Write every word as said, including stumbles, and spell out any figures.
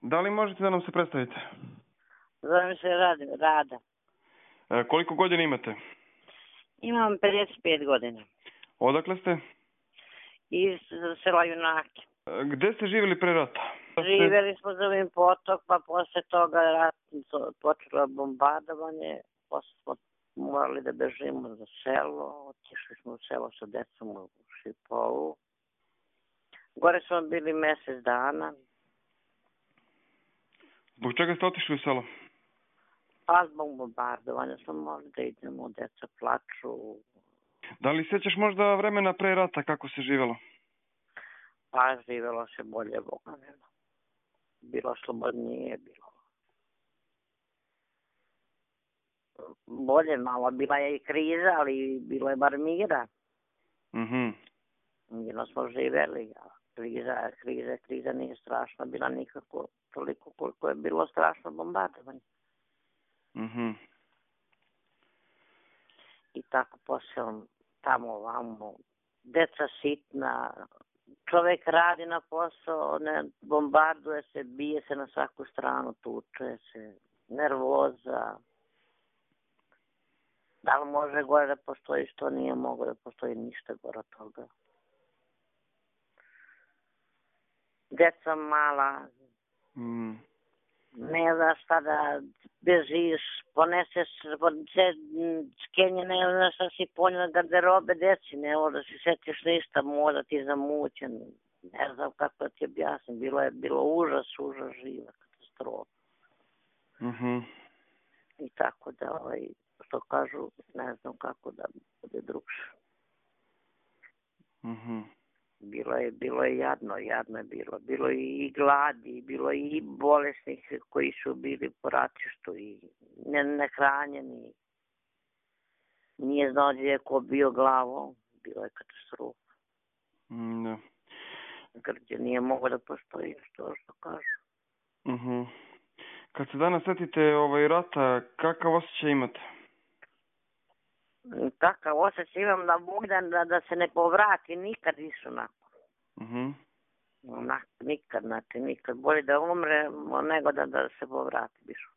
Da li možete da nam se predstavite? Zovem se Rad- Rada. E, koliko godina imate? Imam pedeset pet godina. Odakle ste? Iz sela Junake. E, gde ste živjeli pre rata? Živjeli smo za ovim potok, pa posle toga rat, počelo bombardovanje. Posle smo morali da bežimo za selo. Otišli smo u selo sa decom u Šipolu. Gore smo bili mesec dana. Zbog čega ste otišli u selo? Pa zbog bombardovanja smo morali da idemo, deca plaču. Da li sećaš možda vremena pre rata kako se živjelo? Pa živjelo se bolje, Boga nema. Bilo slobodnije, bilo bolje malo. Bila je i kriza, ali bilo je bar mira. Mhm. Mirno smo živjeli. Kriza, kriza, kriza nije strašna bila nikako toliko koliko je bilo strašno bombardovanje. Mhm. I tako posle tamo ovamo. Deca sitna, čovek radi na posao, ne bombarduje se, bije se na svaku stranu, tuče se, nervoza. Da li može gore da postoji što nije mogo da postoji ništa gore od toga. Deca mala, Mm. ne znaš šta da bežiš, poneseš sve skenje, ne znaš šta si ponela garderobe deci, ne možeš da si setiš ništa, možda ti zamućen, ne znam kako da ti objasnim, bilo je bilo užas, užas živa, katastrofa. Mhm. I tako da, ovaj, što kažu, ne znam kako da bude drugše. Mhm. Bilo je, bilo je jadno, jadno je bilo. Bilo je i gladi, bilo je i bolesnih koji su bili po ratištu i ne, nehranjeni. Nije znao gdje je ko bio glavom. Bilo je katastrofa. Mm, da. Gdje nije mogo da postoji što što kažu. Mhm. Kad se danas setite ovaj rata, kakav osjećaj imate? Takav osjećaj imam da Bog da, da, da se ne povrati nikad više onako. Mhm. Onako, nikad, znači nikad. Bolje da umre nego da, da se povrati više.